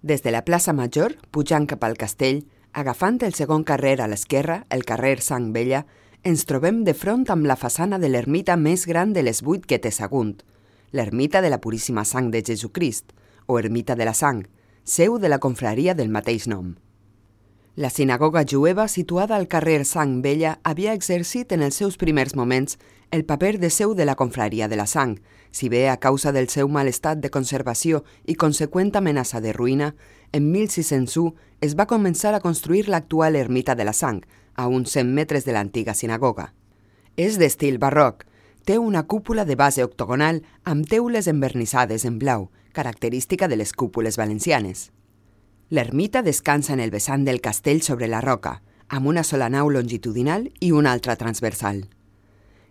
Des de la plaça Major, pujant cap al castell, agafant el segon carrer a l'esquerra, el carrer Sang Vella, ens trobem de front amb la façana de l'ermita més gran de les 8 que té Sagunt, l'ermita de la Puríssima Sang de Jesucrist, o ermita de la Sang, seu de la confraria del mateix nom. La sinagoga jueva situada al carrer Sang Vella havia exercit en els seus primers moments el paper de seu de la confraria de la Sang, si bé a causa del seu mal estat de conservació i conseqüent amenaça de ruïna, en 1601 es va començar a construir l'actual ermita de la Sang, a uns 100 metres de l'antiga sinagoga. És d'estil barroc, té una cúpula de base octogonal amb teules envernissades en blau, característica de les cúpules valencianes. L'ermita descansa en el vessant del castell sobre la roca, amb una sola nau longitudinal i una altra transversal.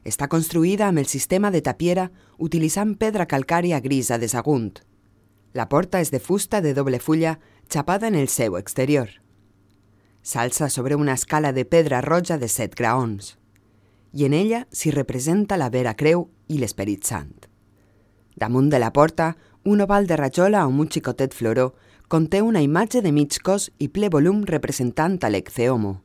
Està construïda amb el sistema de tapiera utilitzant pedra calcària grisa de Sagunt. La porta és de fusta de doble fulla xapada en el seu exterior. S'alça sobre una escala de pedra roja de 7 graons, i en ella s'hi representa la Vera Creu i l'Esperit Sant. Damunt de la porta, un oval de rajola amb un xicotet floró conté una imatge de mig cos i ple volum representant a l'Eccehomo,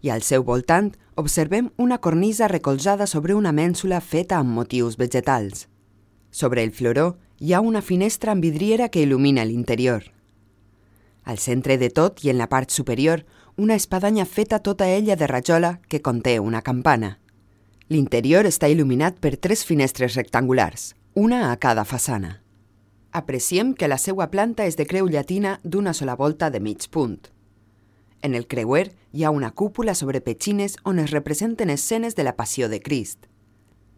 i al seu voltant observem una cornisa recolzada sobre una mènsula feta amb motius vegetals. Sobre el floró hi ha una finestra amb vidriera que il·lumina l'interior. Al centre de tot i en la part superior, una espadanya feta tota ella de rajola que conté una campana. L'interior està il·luminat per 3 finestres rectangulars, una a cada façana. Apreciem que la seua planta és de creu llatina d'una sola volta de mig punt. En el creuer hi ha una cúpula sobre petxines on es representen escenes de la Passió de Crist.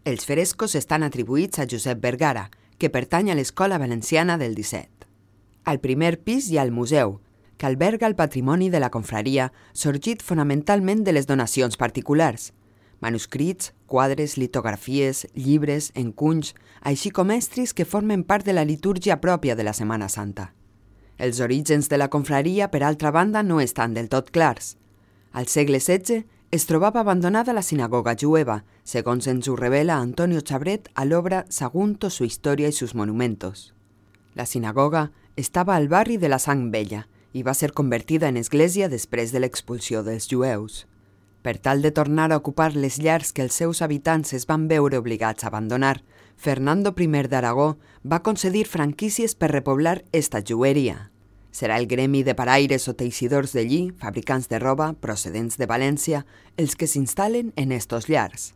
Els frescos estan atribuïts a Josep Vergara, que pertany a l'Escola Valenciana del 17. Al primer pis hi ha el museu, que alberga el patrimoni de la confraria, sorgit fonamentalment de les donacions particulars, manuscrits, quadres, litografies, llibres, encunys, així com estris que formen part de la litúrgia pròpia de la Setmana Santa. Els orígens de la confraria, per altra banda, no estan del tot clars. Al segle XVI es trobava abandonada la sinagoga jueva, segons ens ho revela Antonio Chabret a l'obra Sagunto, su historia y sus monumentos. La sinagoga estava al barri de la Sang Vella i va ser convertida en església després de l'expulsió dels jueus. Per tal de tornar a ocupar les llars que els seus habitants es van veure obligats a abandonar, Fernando I d'Aragó va concedir franquícies per repoblar esta jueria. Serà el gremi de paraires o teixidors de lli, fabricants de roba, procedents de València, els que s'instal·len en estos llars.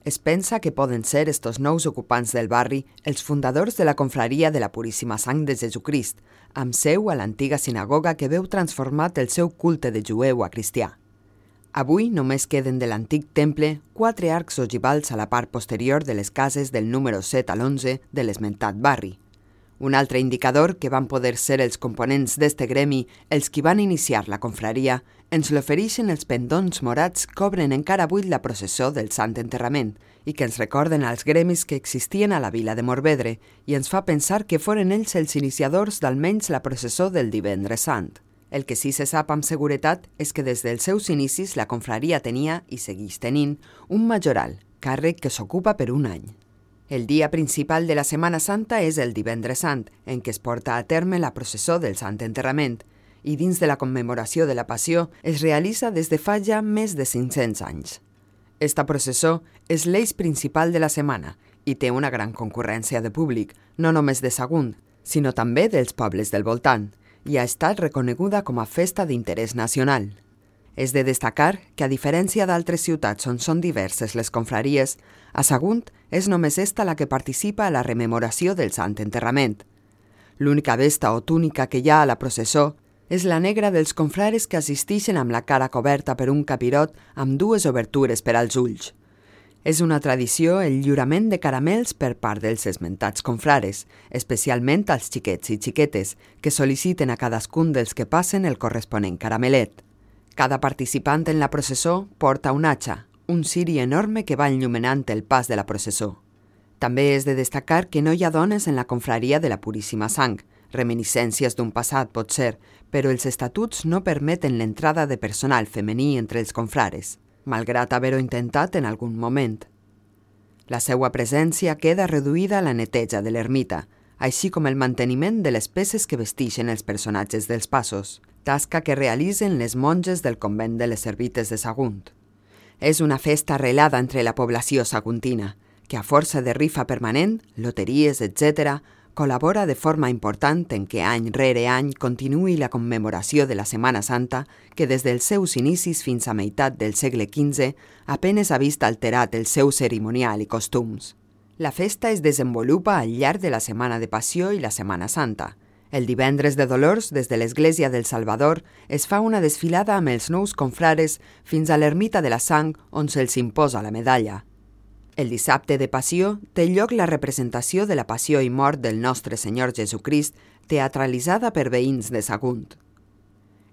Es pensa que poden ser estos nous ocupants del barri els fundadors de la confraria de la Puríssima Sang de Jesucrist, amb seu a l'antiga sinagoga que veu transformat el seu culte de jueu a cristià. Avui només queden de l'antic temple 4 arcs ogivals a la part posterior de les cases del número 7 a l'11 de l'esmentat barri. Un altre indicador que van poder ser els components d'este gremi, els qui van iniciar la confraria, ens l'ofereixen els pendons morats que obren encara avui la processó del Sant Enterrament i que ens recorden als gremis que existien a la vila de Morvedre i ens fa pensar que foren ells els iniciadors d'almenys la processó del Divendres Sant. El que sí se sap amb seguretat és que des dels seus inicis la confraria tenia, i segueix tenint, un majoral, càrrec que s'ocupa per un any. El dia principal de la Setmana Santa és el Divendres Sant, en què es porta a terme la processó del Sant Enterrament, i dins de la commemoració de la Passió es realitza des de fa ja més de 500 anys. Esta processó és l'eix principal de la setmana i té una gran concurrència de públic, no només de Sagunt, sinó també dels pobles del voltant, i ha estat reconeguda com a festa d'interès nacional. És de destacar que, a diferència d'altres ciutats on són diverses les confraries, a Sagunt és només esta la que participa a la rememoració del Sant Enterrament. L'única vesta o túnica que hi ha a la processó és la negra dels confrares que assisteixen amb la cara coberta per un capirot amb 2 obertures per als ulls. És una tradició el lliurament de caramels per part dels esmentats confrares, especialment als xiquets i xiquetes, que sol·liciten a cadascun dels que passen el corresponent caramelet. Cada participant en la processó porta un atxa, un ciri enorme que va enllumenant el pas de la processó. També és de destacar que no hi ha dones en la confraria de la Puríssima Sang, reminiscències d'un passat pot ser, però els estatuts no permeten l'entrada de personal femení entre els confrares, malgrat haver-ho intentat en algun moment. La seva presència queda reduïda a la neteja de l'ermita, així com el manteniment de les peces que vesteixen els personatges dels passos, tasca que realitzen les monges del convent de les Servites de Sagunt. És una festa arrelada entre la població saguntina, que a força de rifa permanent, loteries, etc., col·labora de forma important en que any rere any continuï la commemoració de la Setmana Santa que des dels seus inicis fins a meitat del segle XV apenes ha vist alterat el seu cerimonial i costums. La festa es desenvolupa al llarg de la Setmana de Passió i la Setmana Santa. El divendres de Dolors, des de l'Església del Salvador, es fa una desfilada amb els nous confrares fins a l'Ermita de la Sang, on se'ls imposa la medalla. El dissabte de Passió té lloc la representació de la Passió i Mort del nostre Senyor Jesucrist, teatralitzada per veïns de Sagunt.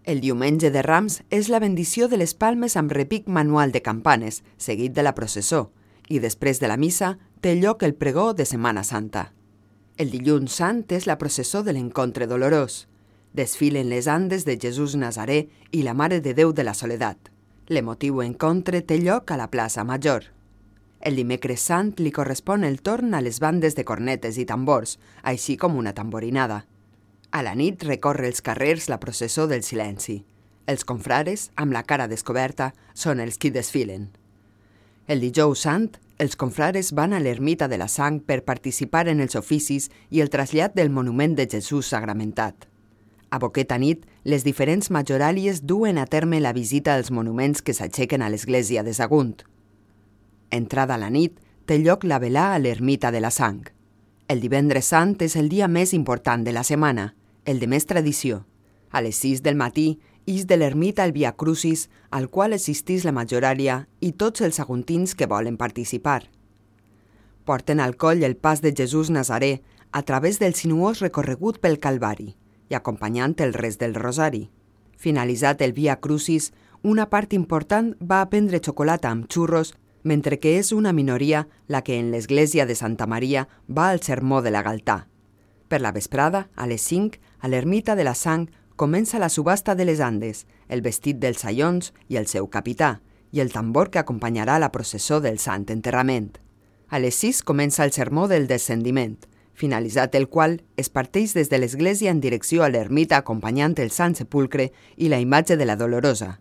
El diumenge de Rams és la bendició de les palmes amb repic manual de campanes, seguit de la processó, i després de la missa té lloc el pregó de Setmana Santa. El dilluns sant és la processó de l'Encontre Dolorós. Desfilen les andes de Jesús Nazaré i la Mare de Déu de la Soledat. L'emotiu encontre té lloc a la plaça Major. El dimecres sant li correspon el torn a les bandes de cornetes i tambors, així com una tamborinada. A la nit recorre els carrers la processó del silenci. Els confrares, amb la cara descoberta, són els qui desfilen. El dijous sant, els confrares van a l'Ermita de la Sang per participar en els oficis i el trasllat del monument de Jesús sagramentat. A boqueta nit, les diferents majoràlies duen a terme la visita als monuments que s'aixequen a l'església de Sagunt. Entrada la nit, té lloc la velà a l'Ermita de la Sang. El divendres sant és el dia més important de la setmana, el de més tradició. A les 6 del matí, ix de l'ermita el Via Crucis, al qual assistís la majoràlia i tots els saguntins que volen participar. Porten al coll el pas de Jesús Nazaré a través del sinuós recorregut pel Calvari i acompanyant el rest del rosari. Finalitzat el Via Crucis, una part important va a prendre xocolata amb xurros, mentre que és una minoria la que en l'església de Santa Maria va al sermó de la Galtà. Per la vesprada, a les 5, a l'Ermita de la Sang, comença la subhasta de les Andes, el vestit dels saions i el seu capità, i el tambor que acompanyarà la processó del Sant Enterrament. A les 6 comença el sermó del Descendiment, finalitzat el qual es parteix des de l'església en direcció a l'ermita acompanyant el Sant Sepulcre i la imatge de la Dolorosa.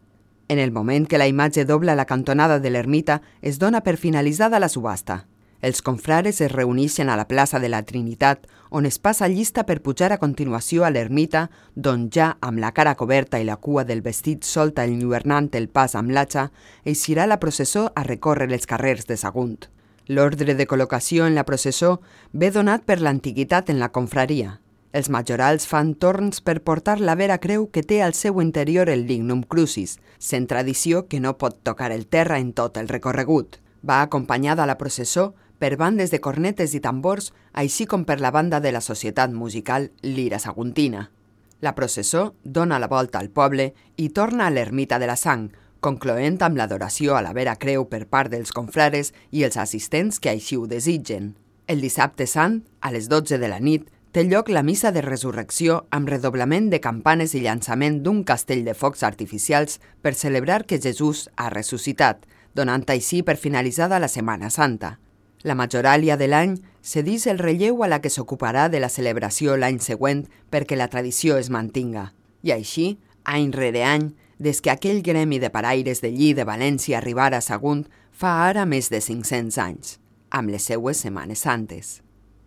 En el moment que la imatge dobla la cantonada de l'ermita, es dona per finalitzada la subhasta. Els confrares es reuneixen a la plaça de la Trinitat, on es passa llista per pujar a continuació a l'ermita, d'on ja, amb la cara coberta i la cua del vestit solta enlluernant el pas amb l'atxa, eixirà la processó a recórrer els carrers de Sagunt. L'ordre de col·locació en la processó ve donat per l'antiguitat en la confraria. Els majorals fan torns per portar la vera creu que té al seu interior el Lignum Crucis, sent tradició que no pot tocar el terra en tot el recorregut. Va acompanyada a la processó per bandes de cornetes i tambors, així com per la banda de la societat musical Lira Saguntina. La processó dona la volta al poble i torna a l'Ermita de la Sang, concloent amb l'adoració a la vera creu per part dels confrares i els assistents que així ho desitgen. El dissabte sant, a les 12 de la nit, té lloc la missa de resurrecció amb redoblament de campanes i llançament d'un castell de focs artificials per celebrar que Jesús ha ressuscitat, donant així per finalitzada la Setmana Santa. La majoràlia de l'any cedeix el relleu a la que s'ocuparà de la celebració l'any següent perquè la tradició es mantinga. I així, any rere any, des que aquell gremi de paraires de Lli de València arribara a Sagunt fa ara més de 500 anys, amb les seues Setmanes Santes.